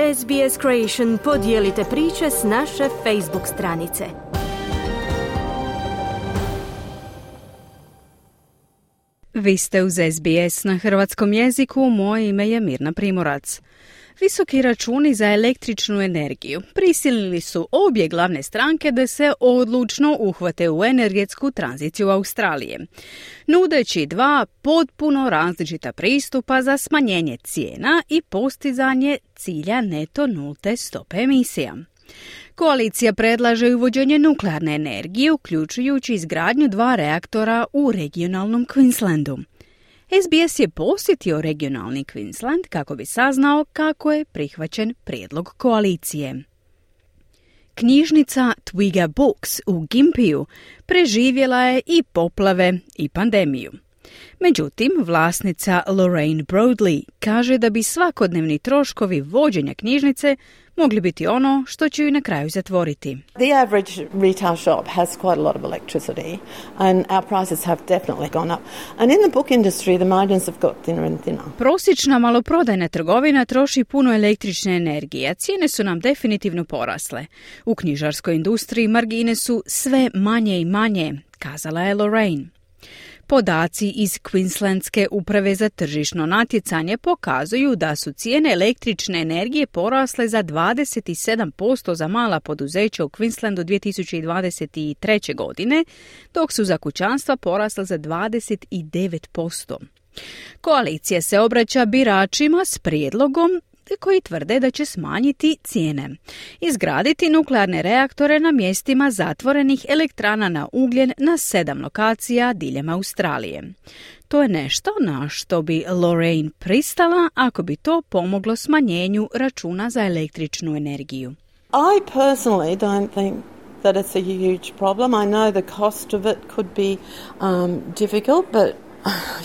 SBS Creation podijelite priče s naše Facebook stranice. Vi ste uz SBS na hrvatskom jeziku, moje ime je Mirna Primorac. Visoki računi za električnu energiju prisilili su obje glavne stranke da se odlučno uhvate u energetsku tranziciju Australije, nudeći dva potpuno različita pristupa za smanjenje cijena i postizanje cilja neto nulte stope emisija. Koalicija predlaže uvođenje nuklearne energije, uključujući izgradnju 2 reaktora u regionalnom Queenslandu. SBS je posjetio regionalni Queensland kako bi saznao kako je prihvaćen prijedlog koalicije. Knjižnica Twiga Books u Gympieju preživjela je i poplave i pandemiju. Međutim, vlasnica Lorraine Broadley kaže da bi svakodnevni troškovi vođenja knjižnice mogli biti ono što će ju na kraju zatvoriti. The average retail shop has quite a lot of electricity and our prices have definitely gone up. And in the book industry the margins have got thinner and thinner. Prosječna maloprodajna trgovina troši puno električne energije, a cijene su nam definitivno porasle. U knjižarskoj industriji margine su sve manje i manje, kazala je Lorraine. Podaci iz Queenslandske uprave za tržišno natjecanje pokazuju da su cijene električne energije porasle za 27% za mala poduzeća u Queenslandu 2023. godine, dok su za kućanstva porasle za 29%. Koalicija se obraća biračima s prijedlogom koji tvrde da će smanjiti cijene, izgraditi nuklearne reaktore na mjestima zatvorenih elektrana na ugljen na 7 lokacija diljem Australije. To je nešto na što bi Lorraine pristala ako bi to pomoglo smanjenju računa za električnu energiju. I personally don't think that it's a huge problem. I know the cost of it could be difficult, but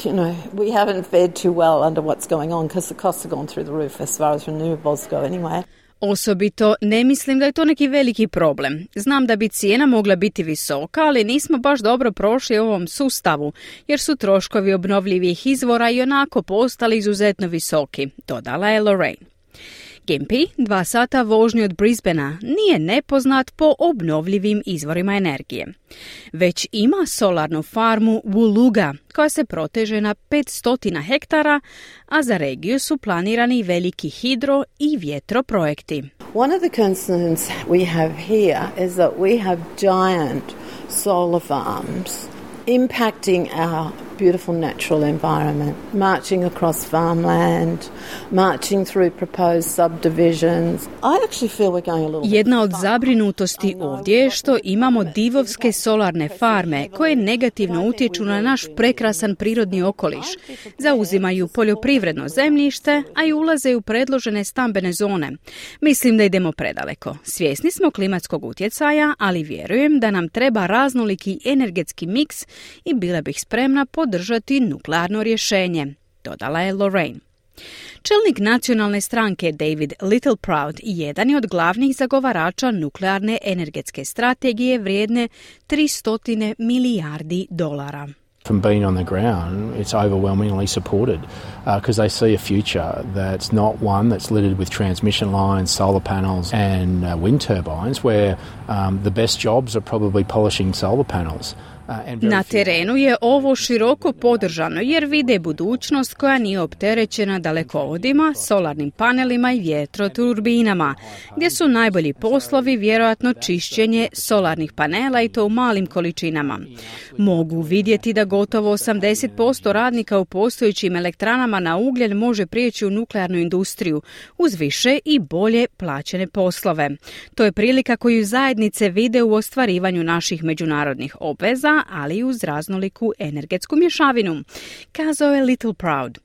you know, we haven't fared too well under what's going on because the costs have gone through the roof as far as renewables go anyway. Osobito ne mislim da je to neki veliki problem. Znam da bi cijena mogla biti visoka, ali nismo baš dobro prošli u ovom sustavu, jer su troškovi obnovljivih izvora i onako postali izuzetno visoki, dodala je Lorraine. Gympie, 2 sata vožnje od Brisbanea, nije nepoznat po obnovljivim izvorima energije. Već ima solarnu farmu Woolooga, koja se proteže na 500 hektara, a za regiju su planirani veliki hidro i vjetroprojekti. One of the concerns we have here is that we have giant solar farms impacting our beautiful natural environment, marching across farmland, marching through proposed subdivisions. I actually feel we're going a little bit. Jedna od zabrinutosti ovdje je što imamo divovske solarne farme koje negativno utječu na naš prekrasan prirodni okoliš, zauzimaju poljoprivredno zemljište, a i ulaze u predložene stambene zone. Mislim da idemo predaleko. Svjesni smo klimatskog utjecaja, ali vjerujem da nam treba raznoliki energetski miks i bila bih spremna podržati nuklearno rješenje, dodala je Lorraine. Čelnik nacionalne stranke David Littleproud jedan je od glavnih zagovarača nuklearne energetske strategije vrijedne $300 milijardi. From being on the ground, it's overwhelmingly supported because they see a future that's not one that's littered with transmission lines, solar panels and wind turbines where the best jobs are probably polishing solar panels. Na terenu je ovo široko podržano jer vide budućnost koja nije opterećena dalekovodima, solarnim panelima i vjetroturbinama, gdje su najbolji poslovi vjerojatno čišćenje solarnih panela i to u malim količinama. Mogu vidjeti da gotovo 80% radnika u postojećim elektranama na ugljen može prijeći u nuklearnu industriju uz više i bolje plaćene poslove. To je prilika koju zajednice vide u ostvarivanju naših međunarodnih obveza, ali i uz raznoliku energetsku mješavinu, kazao je Littleproud.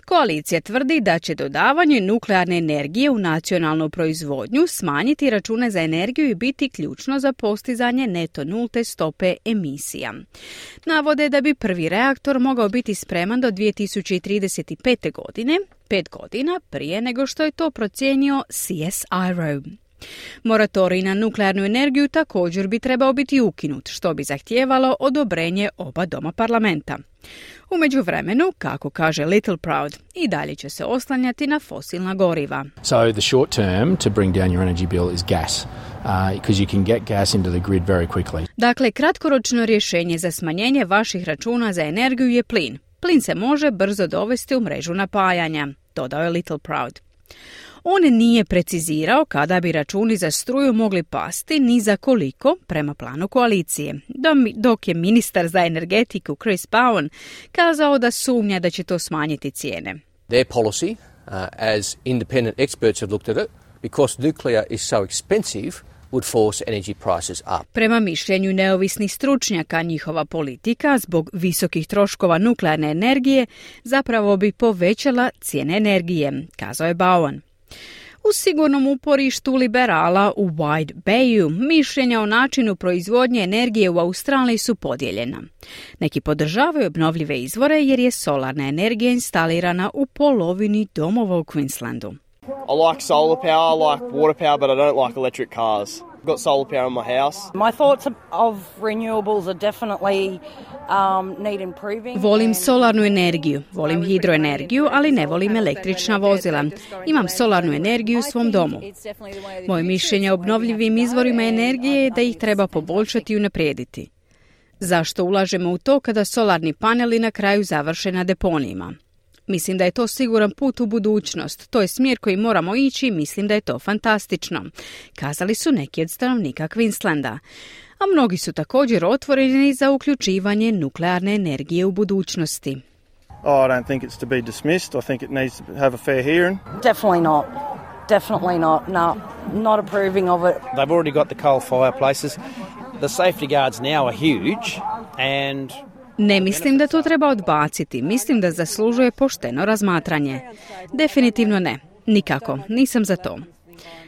Koalicija tvrdi da će dodavanje nuklearne energije u nacionalnu proizvodnju smanjiti račune za energiju i biti ključno za postizanje neto nulte stope emisija. Navode da bi prvi reaktor mogao biti spreman do 2035. godine, 5 godina prije nego što je to procijenio CSIRO. Moratorij na nuklearnu energiju također bi trebao biti ukinut, što bi zahtijevalo odobrenje oba doma parlamenta. U međuvremenu, kako kaže Little Proud, i dalje će se oslanjati na fosilna goriva. So the short term to bring down your energy bill is gas, because you can get gas into the grid very quickly. Dakle, kratkoročno rješenje za smanjenje vaših računa za energiju je plin. Plin se može brzo dovesti u mrežu napajanja, dodao je Little Proud. On nije precizirao kada bi računi za struju mogli pasti ni za koliko prema planu koalicije, dok je ministar za energetiku Chris Bowen kazao da sumnja da će to smanjiti cijene. Their policy, as independent experts have looked at it, because nuclear is so expensive, would force energy prices up. Prema mišljenju neovisnih stručnjaka, njihova politika zbog visokih troškova nuklearne energije zapravo bi povećala cijene energije, kazao je Bowen. U sigurnom uporištu liberala u Wide Bayu mišljenja o načinu proizvodnje energije u Australiji su podijeljena. Neki podržavaju obnovljive izvore jer je solarna energija instalirana u polovini domova u Queenslandu. I like solar power, I like water power, but I don't like electric cars. I've got solar power in my house. My thoughts of renewables are definitely need improving. Volim solarnu energiju, volim hidroenergiju, ali ne volim električna vozila. Imam solarnu energiju u svom domu. Moje mišljenje o obnovljivim izvorima energije je da ih treba poboljšati i unaprijediti. Zašto ulažemo u to kada solarni paneli na kraju završe na deponijima? Mislim da je to siguran put u budućnost. To je smjer koji moramo ići i mislim da je to fantastično, kazali su neki od stanovnika Queenslanda. A mnogi su također otvoreni za uključivanje nuklearne energije u budućnosti. Oh, I don't think it's to be dismissed. I think it needs to have a fair hearing. Definitely not. Definitely not. No, not approving of it. They've already got the coal fireplaces. The safety guards now are huge and ne mislim da to treba odbaciti. Mislim da zaslužuje pošteno razmatranje. Definitivno ne. Nikako. Nisam za to.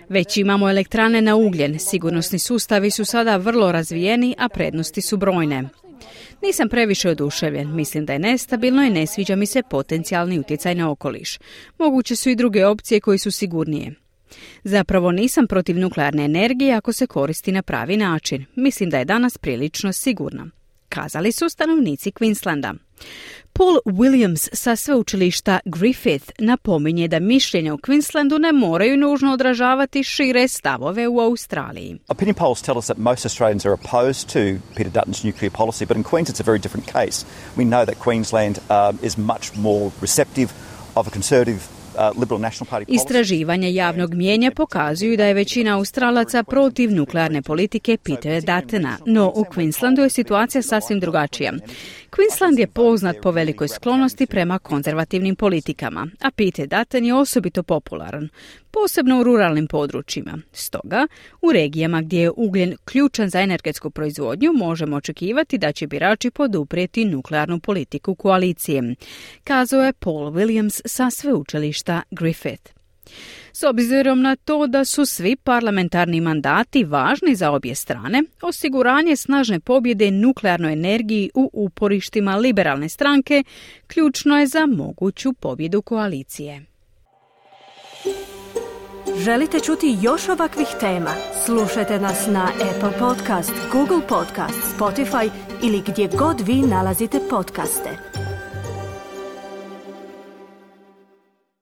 Već imamo elektrane na ugljen. Sigurnosni sustavi su sada vrlo razvijeni, a prednosti su brojne. Nisam previše oduševljen. Mislim da je nestabilno i ne sviđa mi se potencijalni utjecaj na okoliš. Moguće su i druge opcije koje su sigurnije. Zapravo nisam protiv nuklearne energije ako se koristi na pravi način. Mislim da je danas prilično sigurna, kazali su stanovnici Queenslanda. Paul Williams sa sveučilišta Griffith napominje da mišljenja u Queenslandu ne moraju nužno odražavati šire stavove u Australiji. Opinion polls tell us that most Australians are opposed to Peter Dutton's nuclear policy, but in Queens it's a very different case. We know that Queensland is much more receptive of a conservative Istraživanja javnog mijenja pokazuju da je većina Australaca protiv nuklearne politike Petera Duttona, no u Queenslandu je situacija sasvim drugačija. Queensland je poznat po velikoj sklonosti prema konzervativnim politikama, a Peter Dutton je osobito popularan, posebno u ruralnim područjima. Stoga, u regijama gdje je ugljen ključan za energetsku proizvodnju, možemo očekivati da će birači poduprijeti nuklearnu politiku koalicije, kazao je Paul Williams sa sveučilišta Griffith. S obzirom na to da su svi parlamentarni mandati važni za obje strane, osiguranje snažne pobjede nuklearnoj energiji u uporištima liberalne stranke ključno je za moguću pobjedu koalicije. Želite čuti još ovakvih tema? Slušajte nas na Apple Podcast, Google Podcast, Spotify ili gdje god vi nalazite podcaste.